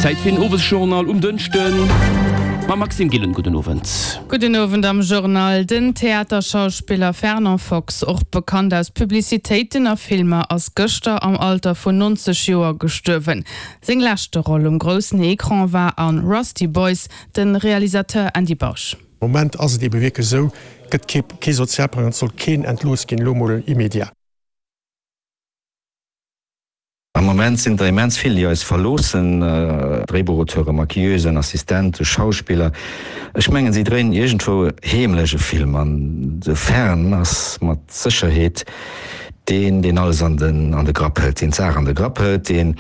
Zäit fir den Owesjournal um Dënschden mam Maxime Gillen. Gudden Owend. Gudden Owend am Journal. Den Theaterschauspiller Fernand Fox, och bekannt aus Publicitéiten a Filmer, ass gëschter am Alter vun 90 Joer gestuerwen. Seng leschte Roll um groussen Ecran war an Rusty Boys, de Realisateur Andy Bausch. Moment ass et ebe wierklech esou, gëtt kee Sozialplang an et soll keen entlooss ginn, elo mol immédiat. Am Moment sinn der immens vill, déi eis verloossen, Dréibuchauteure, Maquilleusen, Assistente, Schauspiller. Ech mengen, si dréinen iergendwou heemlech e Film an de Fern ass mat Sécherheet deen, deen alles an den an de Grapp hëlt, deen d'Saach an de Grapp hëlt, deen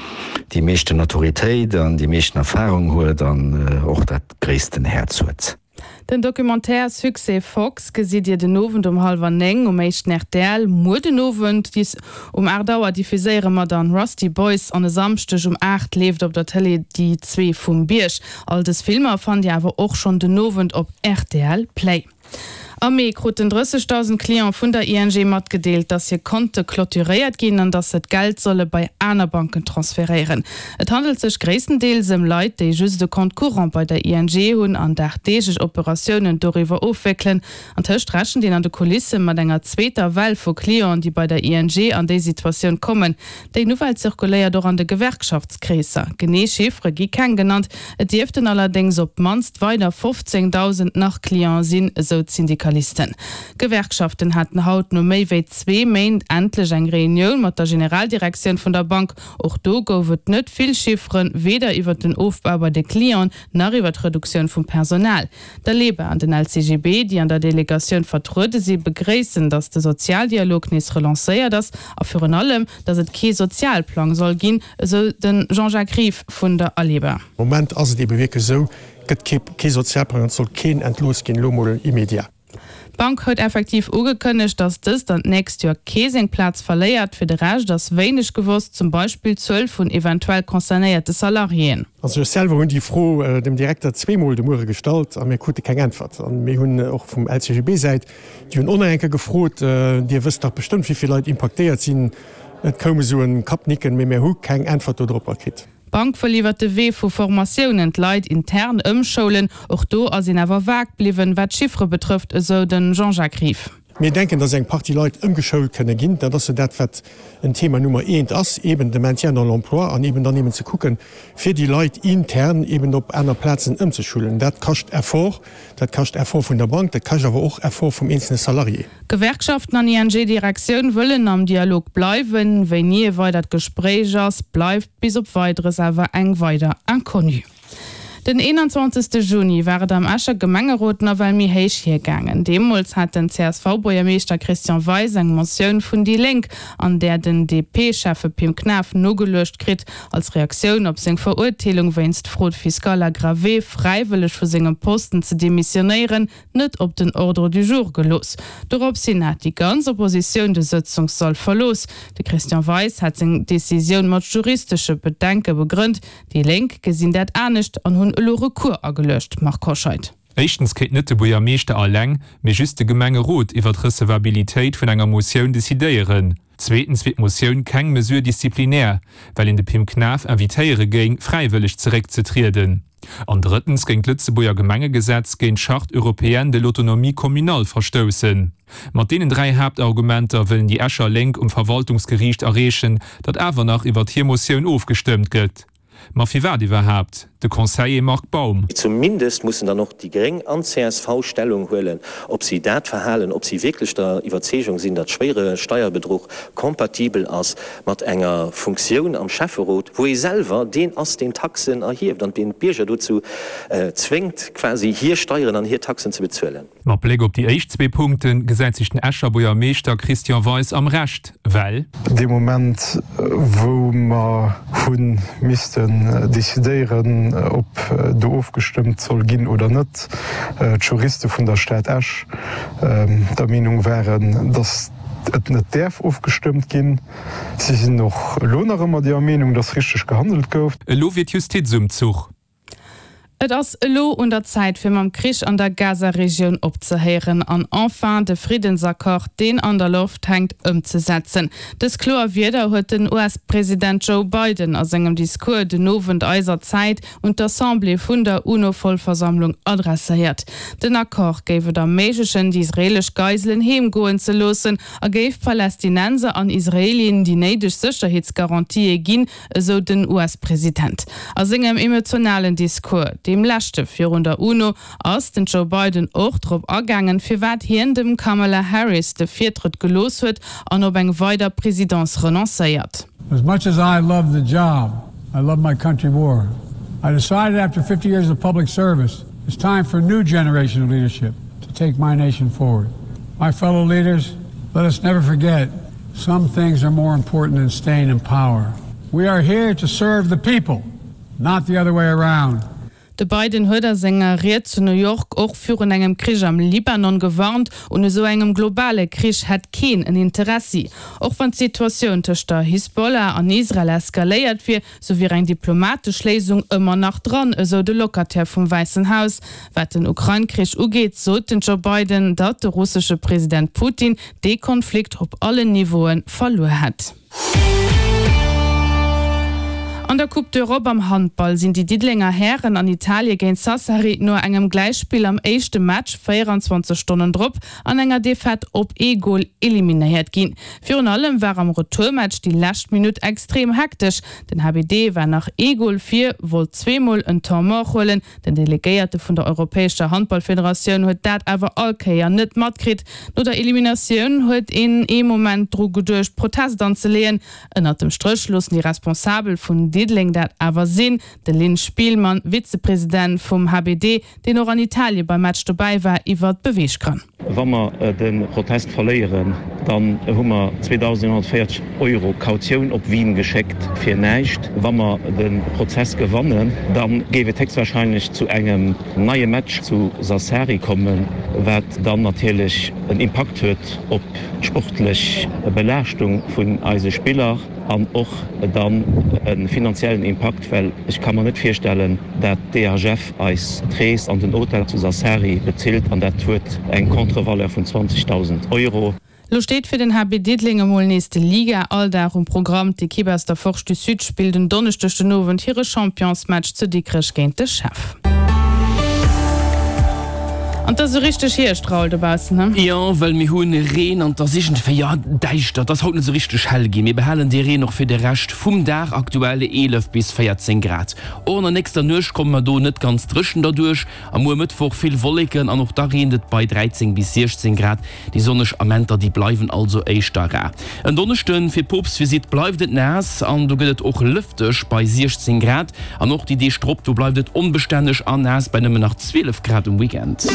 déi meeschten Autoritéit an déi meeschten Erfarung huet an och dat gréissten Häerz huet. Den Documentaire Succès Fox gesitt Dir den Owend um hallwer 9 um éischten rtl. Muer den Owend um 8 Auer diffuséiere mer dann Rusty Boys an e Samschdeg um 8 leeft op der Tëlee Déi zwee vum Bierg. All dës Filmer fannt Dir awer och schonn den Owend op rtl Play. Am Mee kruten 30.000 Cliente vun der ING matgedeelt, dass hir Konte clôturéiert ginn an dass se d'Geld solle bei aner Banken transferéieren. Et handelt sech gréisstendeels ëm Leit, déi just e Compte courant bei der ING hunn an dagdeeglech Operatiounen doriwwer ofwéckelen. Antëscht rechent een an de Kulisse mat enger zweeter Well vu Clienten, déi bei der ING an déi Situatioun kommen. Déi Nouvelle zirkuléiert och an de Gewerkschaftskreesser. Genee Chiffere gi keng genannt, et dierften allerdéngs op d'mannst weider 15.000 nach Clienten sinn, esou d'Syndikalisten. D'Gewerkschaften haten haut no méi wéi zwee Méint endlech eng Reunioun mat der Generaldirektioun vun der Bank. Och do gouf et net vill Chifferen, weder iwwer den Ofbau bei de Clienten, nach iwwer d'Reduktioun vum Personal. D'Aleba an den LCGB, déi an der Delegatioun vertruede si, begréissen, datt de Sozialdialog nees relancéiert ass a virun allem, datt et kee Sozialplang soll ginn, esou de Jean-Jacques Rive vun der Aleba. Moment ass et ebe wierklech esou, gëtt kee Sozialplang an et soll keen entlooss ginn, elo mol immédiat. D'Bank huet effektiv ugekënnegt, datt dëst an d'nächst Joer kee seng Plaz verléiert. Fir de Rescht ass wéineg gewosst, zum Beispill d'Zuel vun eventuell concernéierte Salariéen. Also ech selwer hunn déi Fro dem Direkter zweemol de Muere gestallt a mir krute keng Äntwert. A mir hunn och vum LCGB-Säit, déi hunn och nach eng Kéier gefrot, Dir wësst dach bestëmmt, wéi vill Leit impaktéiert sinn. Et koum esou e Kappnicken, mee mir hu keng Äntwert dodropper kritt. D'Bank wëll iwwer de Wee vu Formatiounen d'Leit intern ëmschoulen. Och do ass een awer vag bliwwen, wat d'Chiffere betrëfft, esou de Jean-Jacques Rive. Mir denken, dass eng Partie Leit ëmgeschoult kënne ginn. Dat ass jo dat, wat en Thema Nummer eent ass, eben de Maintien dans l'emploi an eben dann eben ze kucken, fir déi Leit intern eben op aner Plazen ëmzeschulen. Dat kascht Effort. Dat kascht Effort vun der Bank, dat kascht awer och Effort vum eenzelne Salarié. Gewerkschaften an ING-Direktioun wëllen am Dialog bleiwen. Wéini e weidert Gespréich ass, bleift bis op Weideres awer eng weider Inconnue. Den 21. Juni war et am Escher Gemengerot nawell méi héich hiergaangen. Deemools hat den CSV-Buergermeeschter Christian Weis eng Motioun vun déi Lénk, an där den DP-Schäffe Pim Knaff nogeluecht kritt, Als Reaktioun op seng Verurteelung wéinst Fraude fiscale aggravée fräiwëlleg vu sengem Posten ze demissionéieren, net op den Ordre du jour gelooss. Dorops hin hat déi ganz Oppositioun de Sëtzungssall verlooss. De Christian Weis hat seng Decisioun mat juristesche Bedenke begrënnt. Déi Lénk gesinn dat anescht an hunn elo Recours ageluecht. Marc Hoscheid. Éischtens kéint net de Buergermeeschter alleng, mee just de Gemengerot iwwer d'Recevabilitéit vun enger Motioun decidéieren. Zweetens wier d'Motioun keng Mesure disciplinaire, well een de Pim Knaff invitéiere géing, fräiwëlleg zeréckzetrieden. An drëttens géing d'Lëtzebuerger Gemengegesetz géint d'Charte européenne de l'autonomie communale verstoussen. Mat deenen 3 Haaptargumenter wëllen déi Escher Lénk um Verwaltungsgeriicht erreechen, datt awer nach iwwert hir Motioun ofgestëmmt gëtt. Ma firwat iwwerhaapt? De Conseiller Marc Baum. Zumindest mussen dann och déi Gréng an csv Stellung huelen, ob si dat verhalen, ob si wierklech der Iwwerzeegung sinn, datt schwéiere Steierbedruch compatibel ass mat enger Funktioun am Schäfferot, wou ee selwer deen ass, deen Taxen erhieft an deen d'Bierger dozou zwéngt, quasi hir Steieren an hir Taxen ze bezuelen. Mat Bléck op déi éischt zwee Punkte gesäit sech den Escher Buergermeeschter Christian Weis am Recht, well. Dee Moment, wou mer hu missten decidéieren, ob do ofgestëmmt soll ginn oder net, d'Juriste vun der Stad Esch der Meenung waren, datt et net däerf ofgestëmmt ginn. Si sinn och elo nach ëmmer deer Meenung, datt richteg gehandelt gouf. Elo wier d'Justiz um Zuch. Et ass elo un der Zäit fir mam Krich an der Gaza-Regioun opzehéieren an enfin de Friddensaccord, deen an der Loft hänkt, ëmzesetzen. Dës kloer Wierder huet den US-President Joe Biden a sengem Discours den Owend eiser Zäit un d'Assemblée vun der UNO-Vollversammlung adresséiert. Den Accord géif et erméiglechen, déi israeelesch Geiselen heem goen ze loossen a géif Palästinenser an Israelien déi néideg Sécherheetsgarantië ginn, esou den US-President. A sengem emotionalen Discours, deem leschte virun der UNO, ass den Joe Biden och drop agaangen, firwat hien dem Kamala Harris de Virtrëtt gelooss huet an op eng weider Presidence renoncéiert. As much as I love the job, I love my country more. I decided after 50 years of public service, it's time for a new generation of leadership to take my nation forward. My fellow leaders, let us never forget Some things are more important than staying in power. We are here to serve the people, not the other way around. De Biden huet a senger Ried zu New York och virun engem Krich am Libanon gewarnt. Un esou engem globale Krich hätt keen en Interessi. Och wann d'Situatioun tëscht der Hisbollah an Israel eskaléiert wier, sou wier eng diplomatesch Léisung ëmmer nach dran, esou de Locataire vum Wäissen Haus. Wat den Ukrain-Krich ugeet, sot den Joe Biden, datt de russesche President Putin dee Konflikt op allen Niveaue verluer hätt. An der Coupe d'Europe am Handball sinn déi Diddelenger Hären an Italie géint Sassari no engem Gläichspill am éischte Match 24 Stonnen drop an enger Defaite op ee Gol eliminéiert ginn. Virun allem war am Retourmatch déi lescht Minutt extrem hektesch. Den HBD war nach ee Gol vir, wollt zweemol en Temps mort huelen, Den Delegéierte vun der Europäescher Handballfederatioun huet dat awer all Kéier net matkritt. No der Eliminatioun huet een ee Moment dru geduecht, Protest anzeleeën. Ënnert dem Stréch loossen déi Responsabel vun Diddeleng dat awer sinn. De Lynn Spielmann, Vizepresident vum HBD, deen och an Italie beim Match dobäi war, iwwer d'Beweeggrënn. Wa mer de Protest verléieren, dann hu mer 2.140 Euro Kautioun op Wien geschéckt fir näischt. Wa mer de Prozess gewannen, da géif et héchstwahrscheinlech zu engem neie Match zu Sassari kommen, wat dann natierlech en Impakt huet op d'sportlech Belaaschtung vun eise Spiller. An och dann e finanziellen Impakt, well ech ka mer net virstellen, dat d'EHF eis d'Rees an den Hotel zu Sassari bezilt, an dat huet eng Contre-valeur vun 20.000 Euro. Lo steet fir den HB Diddeleng emol nees de Liga-Alldag um Programm. D'Ekipp aus der Forge du Sud spillt en Donneschdeg den Owend hire Championsmatch zu Dikrech géint de Chev. An 't ass esou richteg Hierscht, Raoul, dobaussen, he? Jo, well mir hu Reen an 't ass iergendwéi, jo, däischter. 't ass haut net esou richteg hell ginn. Mir behalen dee Reen och fir de Rescht vum Dag, aktuell 11 bis 14 Grad. Och an der nächster Nuecht komme mer do net ganz dréchen derduerch. A muer Mëttwoch vill Wolleken an och da reent et bei 13 bis 16 Grad. Déi sonneg Amenter, déi bleiwen also éischter rar. En Donneschden fir d'Poopstvisitt bleift et naass an do gëtt et och lëfteg bei 16 Grad. An och déi Deeg drop, do bleift et onbestänneg a naass bei nëmmen nach 12 Grad um Weekend.